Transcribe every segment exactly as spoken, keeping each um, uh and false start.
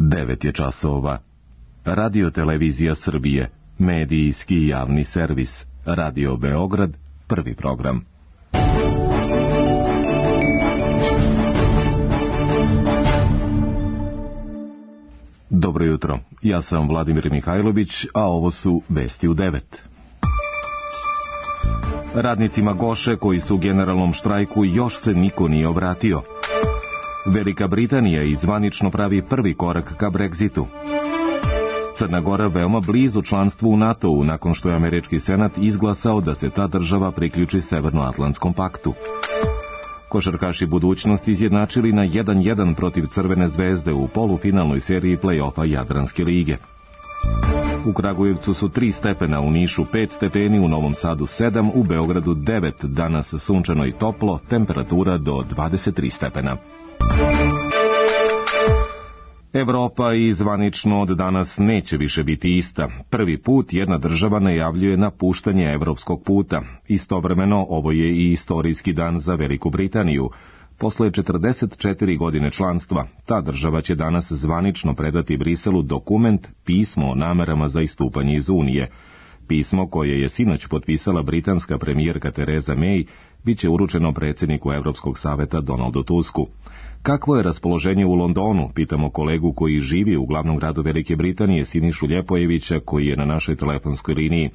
devet je časova. Radio Televizija Srbije, medijski javni servis. Radio Beograd, prvi program. Dobro jutro, ja sam Vladimir Mihajlović, a ovo su vesti u devet. Radnicima Goše koji su u generalnom štrajku još se niko nije obratio. Velika Britanija izvanično pravi prvi korak ka Brexitu. Crna Gora veoma blizu članstvu u NATO-u nakon što je američki senat izglasao da se ta država priključi Severnoatlantskom paktu. Košarkaši budućnosti izjednačili na jedan jedan protiv Crvene zvezde u polufinalnoj seriji play-offa Jadranske lige. U Kragujevcu su tri stepena, u Nišu pet stepeni, u Novom Sadu sedam, u Beogradu devet, danas sunčano i toplo, temperatura do dvadeset tri stepena. Evropa i zvanično od danas neće više biti ista. Prvi put jedna država najavljuje napuštanje evropskog puta. Istovremeno ovo je i istorijski dan za Veliku Britaniju. Posle četrdeset četiri godine članstva, ta država će danas zvanično predati Briselu dokument, pismo o namerama za istupanje iz Unije. Pismo koje je sinoć potpisala britanska premijerka Tereza May bit će uručeno predsjedniku Evropskog saveta Donaldu Tusku. Kakvo je raspoloženje u Londonu, pitamo kolegu koji živi u glavnom gradu Velike Britanije, Sinišu Ljepojevića, koji je na našoj telefonskoj liniji.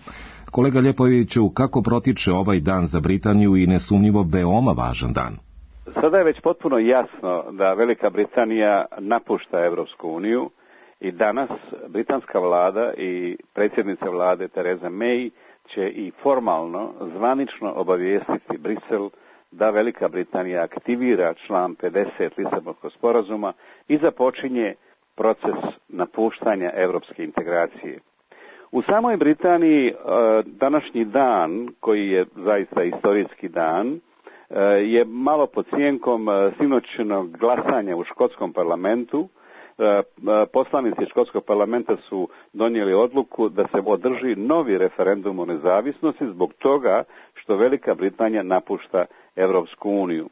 Kolega Ljepojeviću, kako protiče ovaj dan za Britaniju i nesumnjivo veoma važan dan? Sada je već potpuno jasno da Velika Britanija napušta Evropsku uniju i danas britanska vlada i predsjednica vlade Tereza May će i formalno, zvanično obavijestiti Brisel da Velika Britanija aktivira član pedeset Lisabonskog sporazuma i započinje proces napuštanja evropske integracije. U samoj Britaniji današnji dan, koji je zaista istorijski dan, je malo pod sjenkom sinoćnog glasanja u škotskom parlamentu. Poslanici škotskog parlamenta su donijeli odluku da se održi novi referendum o nezavisnosti zbog toga što Velika Britanija napušta Evropsku uniju.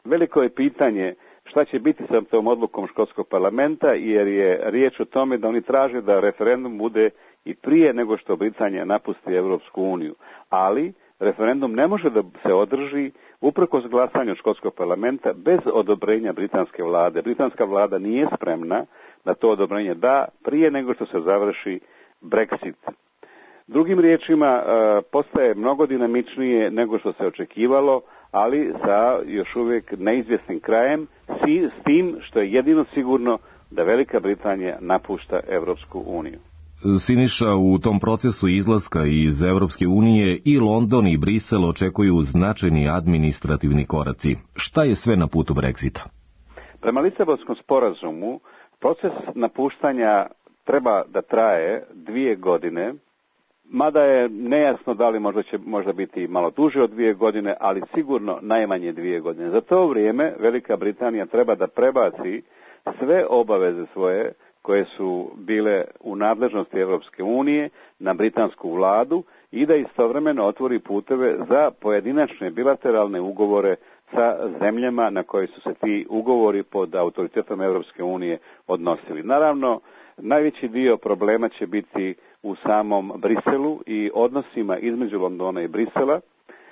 Veliko je pitanje šta će biti sa tom odlukom škotskog parlamenta, jer je riječ o tome da oni traže da referendum bude i prije nego što Britanija napusti Evropsku uniju. Ali referendum ne može da se održi uprkos glasanju škotskog parlamenta bez odobrenja britanske vlade. Britanska vlada nije spremna da to odobrenje da prije nego što se završi Brexit. Drugim riječima, postaje mnogo dinamičnije nego što se očekivalo, ali sa još uvijek neizvjesnim krajem, s tim što je jedino sigurno da Velika Britanija napušta Evropsku uniju. Siniša, u tom procesu izlaska iz Evropske unije i London i Brisel očekuju značajni administrativni koraci. Šta je sve na putu Brexita? Prema Lisabonskom sporazumu, proces napuštanja treba da traje dvije godine, mada je nejasno da li možda će možda biti malo duže od dvije godine, ali sigurno najmanje dvije godine. Za to vrijeme Velika Britanija treba da prebaci sve obaveze svoje koje su bile u nadležnosti Evropske unije na britansku vladu i da istovremeno otvori puteve za pojedinačne bilateralne ugovore sa zemljama na koje su se ti ugovori pod autoritetom Evropske unije odnosili. Naravno, najveći dio problema će biti u samom Briselu i odnosima između Londona i Brisela.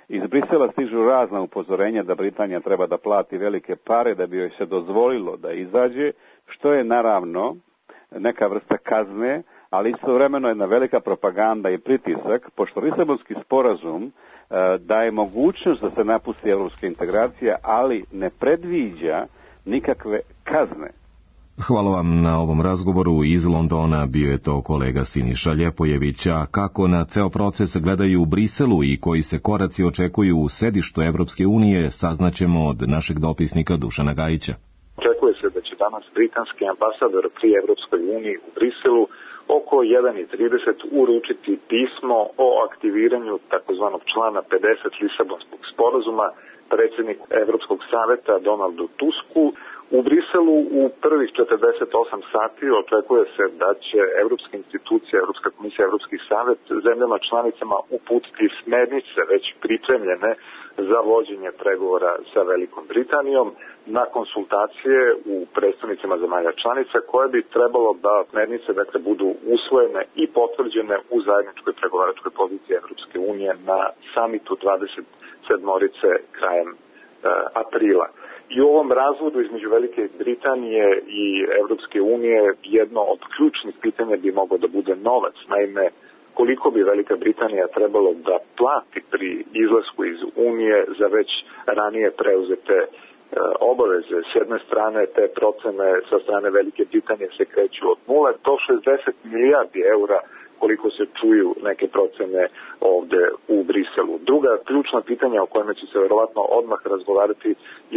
Iz Brisela stižu razna upozorenja da Britanija treba da plati velike pare da bi joj se dozvolilo da izađe, što je naravno neka vrsta kazne, ali istovremeno jedna velika propaganda i pritisak, pošto Lisabonski sporazum e, daje mogućnost da se napusti evropska integracija, ali ne predviđa nikakve kazne. Hvala vam na ovom razgovoru. Iz Londona bio je to kolega Siniša Ljepojevića. Kako na ceo proces gledaju u Briselu i koji se koraci očekuju u sedištu Evropske unije, saznaćemo od našeg dopisnika Dušana Gajića. Očekuje se da će danas britanski ambasador pri Evropskoj uniji u Briselu oko jedan i trideset uručiti pismo o aktiviranju takozvanog člana pedeset Lisabonskog sporazuma predsjedniku Evropskog saveta Donaldu Tusku. U Briselu u prvih četrdeset osam sati očekuje se da će Evropska institucija, Evropska komisija, Evropski savet zemljama članicama uputiti smernice već pripremljene za vođenje pregovora sa Velikom Britanijom. na konsultacije u predstavnicima zemalja članica koje bi trebalo da smernice dakle, budu usvojene i potvrđene u zajedničkoj pregovaračkoj poziciji Evropske unije na samitu dvadeset sedmorice krajem e, aprila. I u ovom razvodu između Velike Britanije i Evropske unije jedno od ključnih pitanja bi moglo da bude novac. Naime, koliko bi Velika Britanija trebalo da plati pri izlasku iz Unije za već ranije preuzete e, obaveze. S jedne strane te procene sa strane Velike Britanije se kreću od nula do šezdeset milijardi eura koliko se čuju neke procene ovde u Briselu. Druga ključna pitanja o kojima će se verovatno odmah razgovarati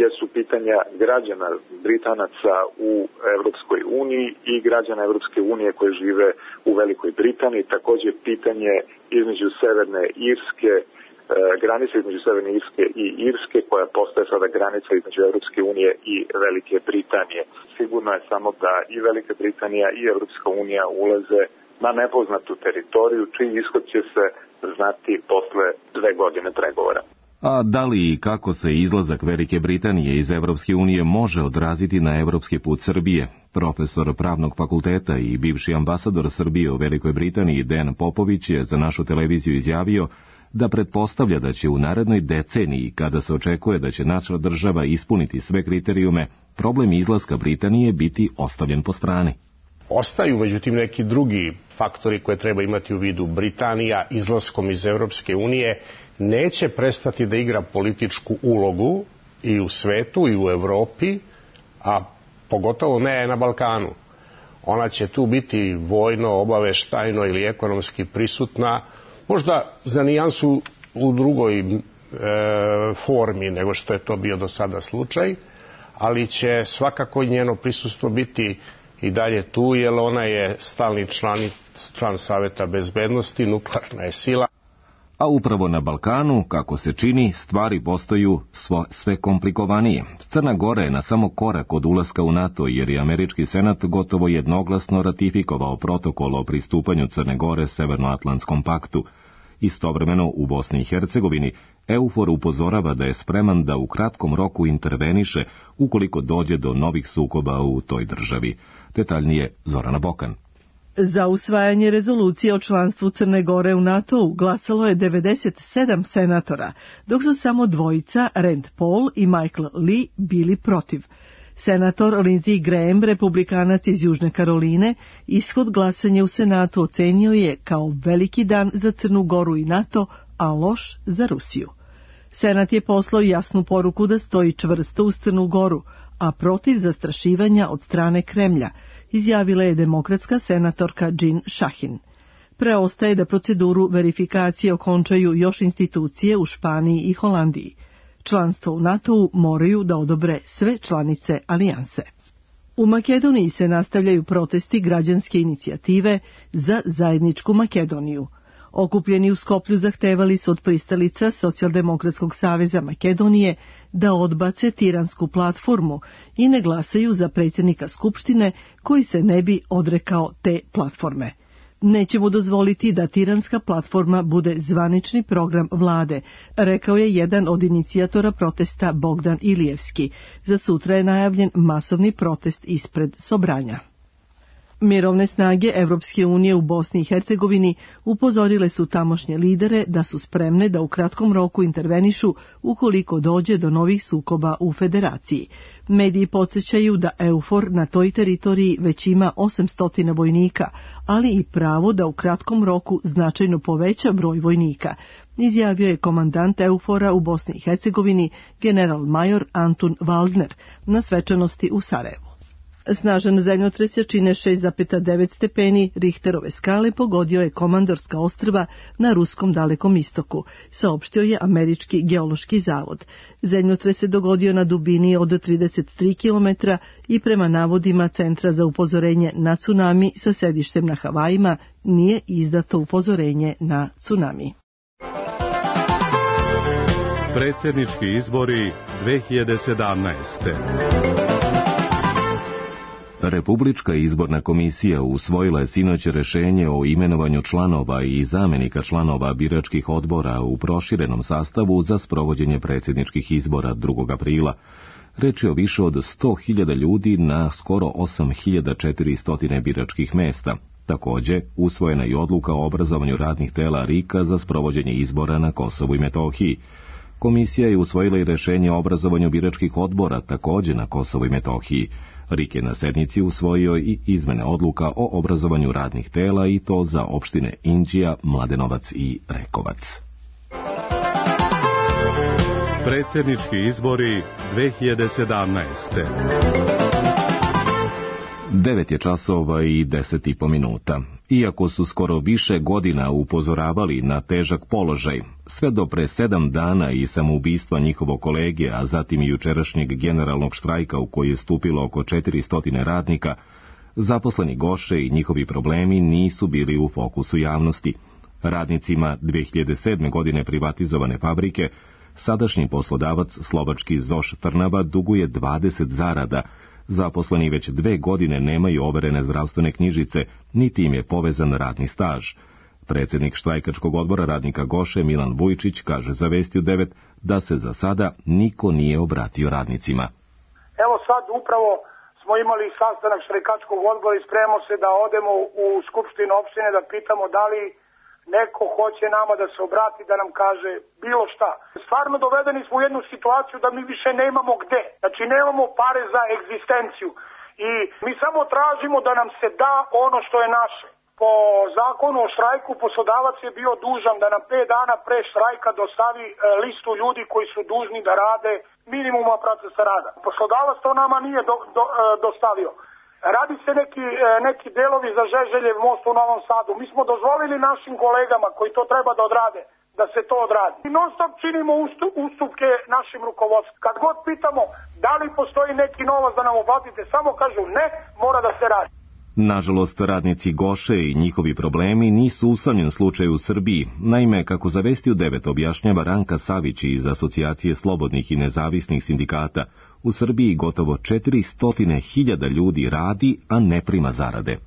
jesu pitanja građana Britanaca u Evropskoj uniji i građana Evropske unije koji žive u Velikoj Britaniji. Takođe pitanje između Severne Irske, e, granice između Severne Irske i Irske koja postaje sada granica između Evropske unije i Velike Britanije. Sigurno je samo da i Velika Britanija i Evropska unija ulaze na nepoznatu teritoriju, čiji ishod će se znati posle dve godine pregovora. A da li i kako se izlazak Velike Britanije iz Evropske unije može odraziti na evropski put Srbije? Profesor Pravnog fakulteta i bivši ambasador Srbije u Velikoj Britaniji Dejan Popović je za našu televiziju izjavio da pretpostavlja da će u narednoj deceniji, kada se očekuje da će naša država ispuniti sve kriterijume, problem izlaska Britanije biti ostavljen po strani. Ostaju, međutim, neki drugi faktori koje treba imati u vidu. Britanija izlaskom iz Evropske unije neće prestati da igra političku ulogu i u svetu i u Evropi, a pogotovo ne na Balkanu. Ona će tu biti vojno, obaveštajno ili ekonomski prisutna, možda za nijansu u drugoj e, formi nego što je to bio do sada slučaj, ali će svakako njeno prisustvo biti i dalje tu, jer ona je stalni član, član Saveta bezbednosti, nuklearna je sila. A upravo na Balkanu, kako se čini, stvari postaju svo, sve komplikovanije. Crna Gora je na samo korak od ulaska u NATO, jer je američki senat gotovo jednoglasno ratifikovao protokol o pristupanju Crne Gore Severnoatlantskom paktu. Istovremeno u Bosni i Hercegovini EUFOR upozorava da je spreman da u kratkom roku interveniše ukoliko dođe do novih sukoba u toj državi. Detaljnije Zorana Bokan. Za usvajanje rezolucije o članstvu Crne Gore u NATO-u glasalo je devedeset sedam senatora, dok su samo dvojica, Rand Paul i Michael Lee, bili protiv. Senator Lindsey Graham, republikanac iz Južne Karoline, ishod glasanja u Senatu ocenio je kao veliki dan za Crnu Goru i NATO, a loš za Rusiju. Senat je poslao jasnu poruku da stoji čvrsto uz Crnu Goru, a protiv zastrašivanja od strane Kremlja, izjavila je demokratska senatorka Jean Shaheen. Preostaje da proceduru verifikacije okončaju još institucije u Španiji i Holandiji. Članstvo u NATO-u moraju da odobre sve članice alijanse. U Makedoniji se nastavljaju protesti građanske inicijative za zajedničku Makedoniju. Okupljeni u Skoplju zahtevali su od pristalica Socijaldemokratskog saveza Makedonije da odbace tiransku platformu i ne glasaju za predsjednika Skupštine koji se ne bi odrekao te platforme. Nećemo dozvoliti da tiranska platforma bude zvanični program vlade, rekao je jedan od inicijatora protesta Bogdan Ilijevski. Za sutra je najavljen masovni protest ispred Sobranja. Mirovne snage Evropske unije u Bosni i Hercegovini upozorile su tamošnje lidere da su spremne da u kratkom roku intervenišu ukoliko dođe do novih sukoba u federaciji. Mediji podsjećaju da EUFOR na toj teritoriji već ima osamsto vojnika, ali i pravo da u kratkom roku značajno poveća broj vojnika, izjavio je komandant EUFOR-a u Bosni i Hercegovini general major Antun Waldner na svečanosti u Sarajevu. Snažan zemljotres jačine šest zarez devet stepeni Richterove skale pogodio je Komandorska ostrva na ruskom Dalekom istoku, saopštio je Američki geološki zavod. Zemljotres se dogodio na dubini od trideset tri kilometra i prema navodima Centra za upozorenje na tsunami sa sedištem na Havajima nije izdato upozorenje na tsunami. Predsjednički izbori dve hiljade sedamnaeste. Republička izborna komisija usvojila je sinoć rješenje o imenovanju članova i zamjenika članova biračkih odbora u proširenom sastavu za sprovođenje predsjedničkih izbora drugog aprila. Reč je o više od sto hiljada ljudi na skoro osam hiljada četiristo biračkih mesta. Takođe, usvojena je odluka o obrazovanju radnih tela R I K-a za sprovođenje izbora na Kosovu i Metohiji. Komisija je usvojila i rešenje o obrazovanju biračkih odbora takođe na Kosovu i Metohiji. R I K je na sednici usvojio i izmene odluka o obrazovanju radnih tela i to za opštine Inđija, Mladenovac i Rekovac. Predsjednički izbori dve hiljade sedamnaeste. Devet je časova i deset i po minuta. Iako su skoro više godina upozoravali na težak položaj, sve do pre sedam dana i samoubistva njihovog kolege, a zatim i jučerašnjeg generalnog štrajka u koji je stupilo oko četiristo radnika, zaposleni Goše i njihovi problemi nisu bili u fokusu javnosti. Radnicima dve hiljade sedme. godine privatizovane fabrike sadašnji poslodavac slovački ZOŠ Trnava duguje dvadeset zarada. Zaposleni već dve godine nemaju overene zdravstvene knjižice, niti im je povezan radni staž. Predsjednik štrajkačkog odbora radnika Goše Milan Vujčić kaže za Vesti u devet da se za sada niko nije obratio radnicima. Evo sad upravo smo imali sastanak štrajkačkog odbora i spremamo se da odemo u skupštinu opštine da pitamo da li neko hoće nama da se obrati, da nam kaže bilo šta. Stvarno dovedeni smo u jednu situaciju da mi više nemamo gde. Znači nemamo pare za egzistenciju i mi samo tražimo da nam se da ono što je naše. Po zakonu o štrajku poslodavac je bio dužan da nam pet dana pre štrajka dostavi listu ljudi koji su dužni da rade minimuma procesa rada. Poslodavac to nama nije do, do, dostavio. Radi se neki, neki delovi za Žeželjev most u Novom Sadu. Mi smo dozvolili našim kolegama koji to treba da odrade, da se to odradi. I non stop činimo ustupke našim rukovodstvu. Kad god pitamo da li postoji neki novac da nam uplatite, samo kažu ne, mora da se radi. Nažalost, radnici Goše i njihovi problemi nisu usamljen slučaj u Srbiji. Naime, kako za Vesti u devet objašnjava Ranka Savić iz Asocijacije slobodnih i nezavisnih sindikata, u Srbiji gotovo četiristo hiljada ljudi radi, a ne prima zarade.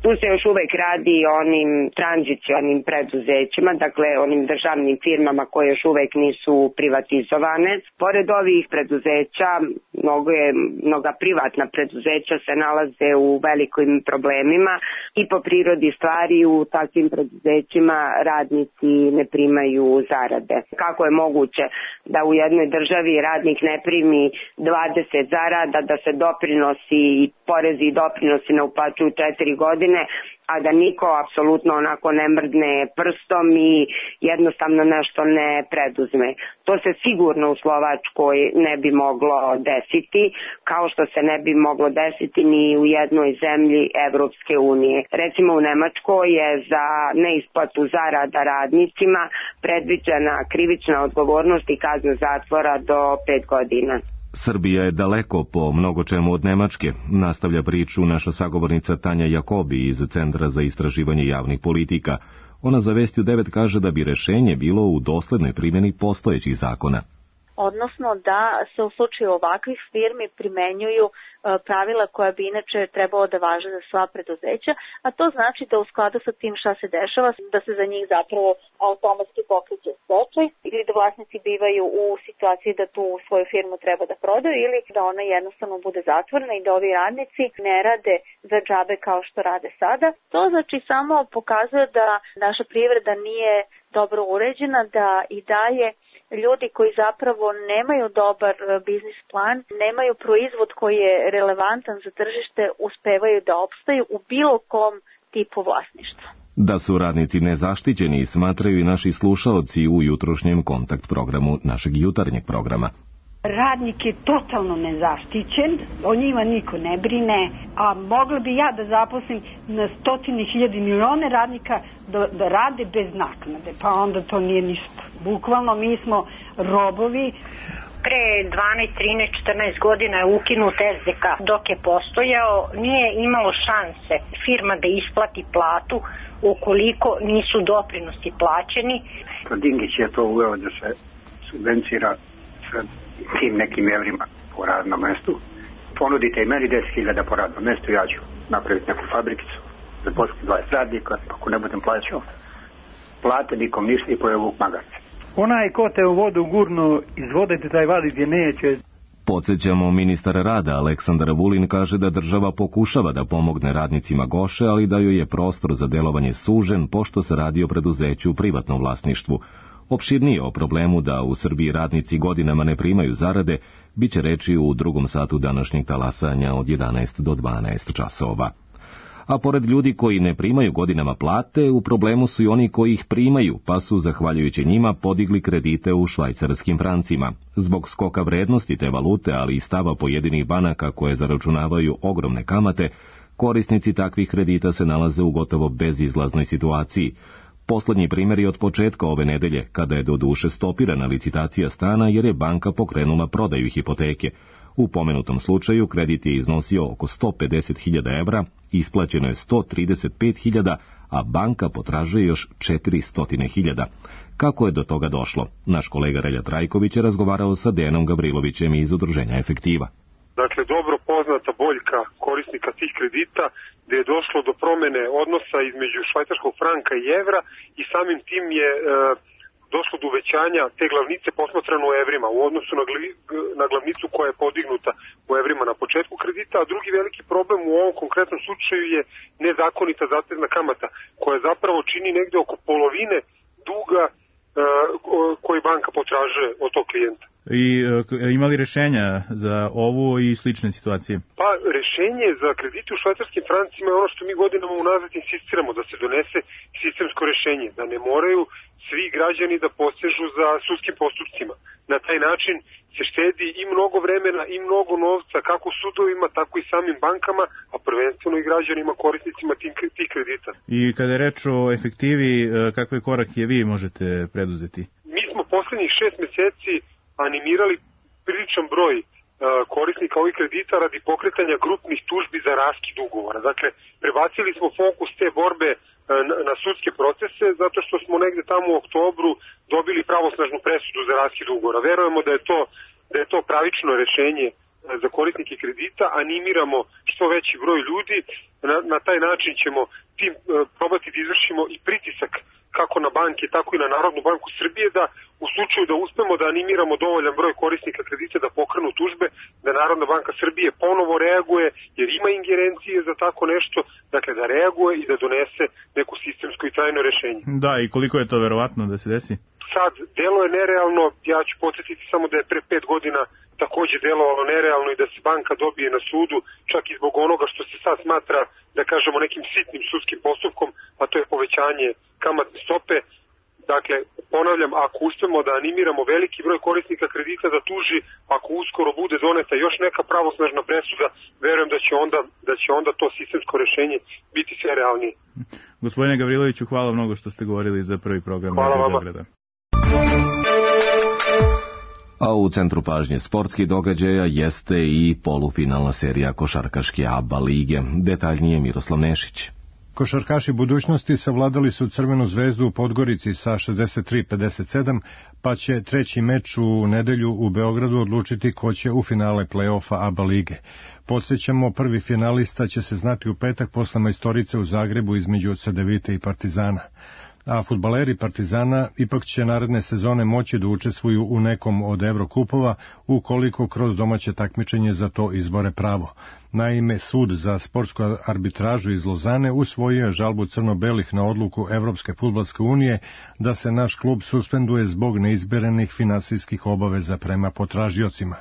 Tu se još uvek radi o onim tranzicionim preduzećima, dakle onim državnim firmama koje još uvek nisu privatizovane. Pored ovih preduzeća, mnogo je, mnoga privatna preduzeća se nalaze u velikim problemima i po prirodi stvari u takvim preduzećima radnici ne primaju zarade. Kako je moguće da u jednoj državi radnik ne primi dvadeset zarada, da se doprinosi i porezi i doprinosi ne uplaćuju četiri godine, a da niko apsolutno onako ne mrdne prstom i jednostavno nešto ne preduzme. To se sigurno u Slovačkoj ne bi moglo desiti, kao što se ne bi moglo desiti ni u jednoj zemlji Evropske unije. Recimo u Nemačkoj je za neisplatu zarada radnicima predviđena krivična odgovornost i kazna zatvora do pet godina. Srbija je daleko po mnogo čemu od Nemačke, nastavlja priču naša sagovornica Tanja Jakobi iz Centra za istraživanje javnih politika. Ona za Vesti u devet kaže da bi rešenje bilo u doslednoj primjeni postojećih zakona. Odnosno da se u slučaju ovakvih firmi primenjuju pravila koja bi inače trebalo da važe za sva preduzeća, a to znači da u skladu sa tim šta se dešava, da se za njih zapravo automatski pokreće stečaj ili da vlasnici bivaju u situaciji da tu svoju firmu treba da prodaju ili da ona jednostavno bude zatvorena i da ovi radnici ne rade za džabe kao što rade sada. To znači samo pokazuje da naša privreda nije dobro uređena, da i dalje ljudi koji zapravo nemaju dobar biznis plan, nemaju proizvod koji je relevantan za tržište, uspevaju da opstaju u bilo kom tipu vlasništva. Da su radnici nezaštićeni, smatraju i naši slušaoci u jutrošnjem kontakt programu našeg jutarnjeg programa. Radnik je totalno nezaštićen, o njima niko ne brine, a mogla bi ja da zaposlim na stotine hiljade milione radnika da, da rade bez naknade, pa onda to nije ništa. Bukvalno mi smo robovi. Pre dvanaest, trinaest, četrnaest godina je ukinut S D K. Dok je postojao, nije imalo šanse firma da isplati platu ukoliko nisu doprinosi plaćeni. Dingić je to uveo da se subvencira sa tim nekim evrima po radnom mestu. Ponudite i meni deset hiljada po radnom mestu, ja ću napraviti neku fabrikicu, zaposliti dvadeset radnika, ako ne budem plaćao plate, nikom ništa i pojavu magarce. Onaj ko te u vodu gurnu iz vode te taj vadi gdje neće. Podsjećamo, ministar rada Aleksandar Vulin kaže da država pokušava da pomogne radnicima Goše, ali da joj je prostor za delovanje sužen, pošto se radi o preduzeću u privatnom vlasništvu. Opširnije o problemu da u Srbiji radnici godinama ne primaju zarade, bit će reči u drugom satu današnjeg talasanja od jedanaest do dvanaest časova. A pored ljudi koji ne primaju godinama plate, u problemu su i oni koji ih primaju, pa su, zahvaljujući njima, podigli kredite u švajcarskim francima. Zbog skoka vrednosti te valute, ali i stava pojedinih banaka koje zaračunavaju ogromne kamate, korisnici takvih kredita se nalaze u gotovo bezizlaznoj situaciji. Poslednji primjer je od početka ove nedelje, kada je do duše stopirana licitacija stana jer je banka pokrenula prodaju hipoteke. U pomenutom slučaju kredit je iznosio oko sto pedeset hiljada evra, isplaćeno je sto trideset pet hiljada, a banka potražuje još četiristo hiljada. Kako je do toga došlo? Naš kolega Relja Trajković je razgovarao sa Dejanom Gavrilovićem iz Udruženja Efektiva. Dakle, dobro poznata boljka korisnika tih kredita, gde je došlo do promene odnosa između švajcarskog franka i evra i samim tim je e, došlo do uvećanja te glavnice posmatrano u evrima u odnosu na, gli, na glavnicu koja je podignuta u evrima na početku kredita, a drugi veliki problem u ovom konkretnom slučaju je nezakonita zatezna kamata, koja zapravo čini negde oko polovine duga e, koji banka potražuje od tog klijenta. I e, imali rešenja za ovu i slične situacije? Pa, rešenje za kredite u švajcarskim francima je ono što mi godinama unazad insistiramo, da se donese sistemsko rešenje, da ne moraju svi građani da posežu za sudskim postupcima. Na taj način se štedi i mnogo vremena i mnogo novca, kako sudovima, tako i samim bankama, a prvenstveno i građanima, korisnicima tih kredita. I kada je reč o efektivi, kakve korake vi možete preduzeti? Mi smo poslednjih šest meseci animirali priličan broj uh, korisnika ovih kredita radi pokretanja grupnih tužbi za raskid ugovora. Dakle, prebacili smo fokus te borbe uh, na, na sudske procese, zato što smo negde tamo u oktobru dobili pravosnažnu presudu za raskid ugovora. Verujemo da je to, da je to pravično rešenje uh, za korisnike kredita, animiramo što veći broj ljudi, na, na taj način ćemo tim uh, probati da izvršimo i pritisak kako na banke, tako i na Narodnu banku Srbije, da u slučaju da uspemo da animiramo dovoljan broj korisnika kredita da pokrenu tužbe, da Narodna banka Srbije ponovo reaguje, jer ima ingerencije za tako nešto, dakle da reaguje i da donese neko sistemsko i trajno rešenje. Da, i koliko je to verovatno da se desi? Sad, delo je nerealno, ja ću podsjetiti samo da je pre pet godina takođe delovalo nerealno i da se banka dobije na sudu, čak i zbog onoga što se sad smatra, da kažemo, nekim sitnim sudskim postupkom, a to je povećanje kamatne stope. Dakle, ponavljam, ako uspemo da animiramo veliki broj korisnika kredita da tuži, ako uskoro bude doneta još neka pravosnažna presuda, verujem da će onda, da će onda to sistemsko rešenje biti sve realnije. Gospodine Gavriloviću, hvala mnogo što ste govorili za prvi program. Hvala vama. A u centru pažnje sportskih događaja jeste i polufinalna serija košarkaške A B A lige. Detaljnije Miroslav Nešić. Košarkaši budućnosti savladali su Crvenu zvezdu u Podgorici sa šezdeset tri pedeset sedam, pa će treći meč u nedelju u Beogradu odlučiti ko će u finale play-offa A B A lige. Podsjećamo, prvi finalista će se znati u petak posle majstorice u Zagrebu između Cedevite i Partizana. A fudbaleri Partizana ipak će naredne sezone moći da učestvuju u nekom od Evrokupova ukoliko kroz domaće takmičenje za to izbore pravo. Naime, sud za sportsku arbitražu iz Lozane usvojio je žalbu crno-belih na odluku Evropske fudbalske unije da se naš klub suspenduje zbog neizberenih finansijskih obaveza prema potražiocima.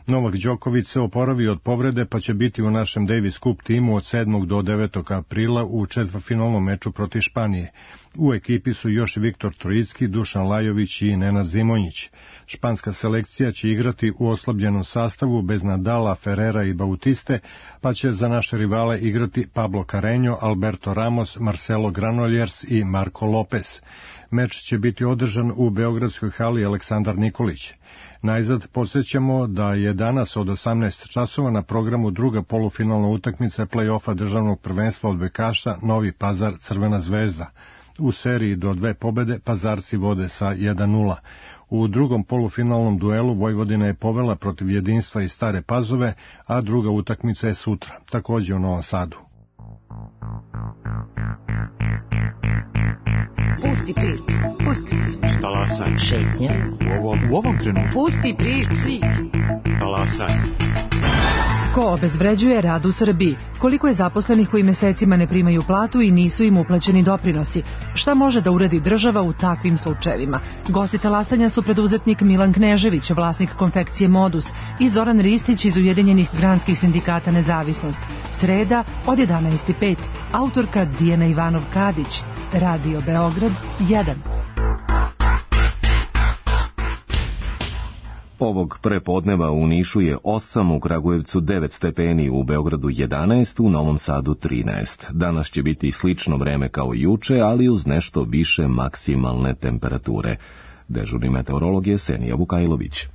Novak Đoković se oporavio od povrede pa će biti u našem Davis Cup timu od sedmog do devetog aprila u četvrtfinalnom meču protiv Španije. U ekipi su još Viktor Trojicki, Dušan Lajović i Nenad Zimonjić. Španska selekcija će igrati u oslabljenom sastavu bez Nadala, Ferrera i Bautiste, pa će za naše rivale igrati Pablo Carreño, Alberto Ramos, Marcelo Granollers i Marco Lopez. Meč će biti održan u beogradskoj hali Aleksandar Nikolić. Najzad podsjećamo da je danas od osamnaest časova na programu druga polufinalna utakmica play-offa državnog prvenstva odbojkaša Novi Pazar Crvena zvezda. U seriji do dve pobede Pazarci vode sa jedan nula. U drugom polufinalnom duelu Vojvodina je povela protiv Jedinstva i Stare Pazove, a druga utakmica je sutra, takođe u Novom Sadu. Pusti priču, pusti priču. Talasaj. Šetnja. u ovom, u ovom trenutku. Pusti priču. Talasaj. Ko obezvređuje rad u Srbiji? Koliko je zaposlenih koji mesecima ne primaju platu i nisu im uplaćeni doprinosi? Šta može da uradi država u takvim slučajevima? Gosti talasanja su preduzetnik Milan Knežević, vlasnik konfekcije Modus, i Zoran Ristić iz Ujedinjenih granskih sindikata Nezavisnost. Sreda od jedanaest i pet. Autorka Dijana Ivanov-Kadić. Radio Beograd jedan. Ovog prepodneva u Nišu je osam, u Kragujevcu devet stepeni, u Beogradu jedanaest, u Novom Sadu trinaest. Danas će biti slično vreme kao juče, ali uz nešto više maksimalne temperature. Dežurni meteorolog je Senija Vukajlović.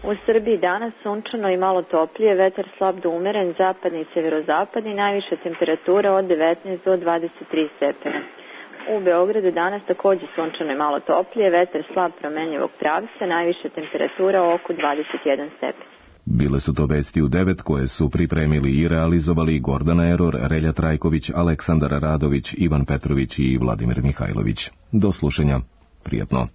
U Srbiji danas sunčano i malo toplije, vetar slab do umeren, zapadni i severozapadni, najviša temperatura od devetnaest do dvadeset tri stepena. U Beogradu danas takođe sunčano i malo toplije, vetar slab promenjivog pravca, najviša temperatura oko dvadeset jedan stepen. Bile su to vesti u devet koje su pripremili i realizovali Gordana Eror, Relja Trajković, Aleksandar Radović, Ivan Petrović i Vladimir Mihajlović. Do slušanja. Prijatno.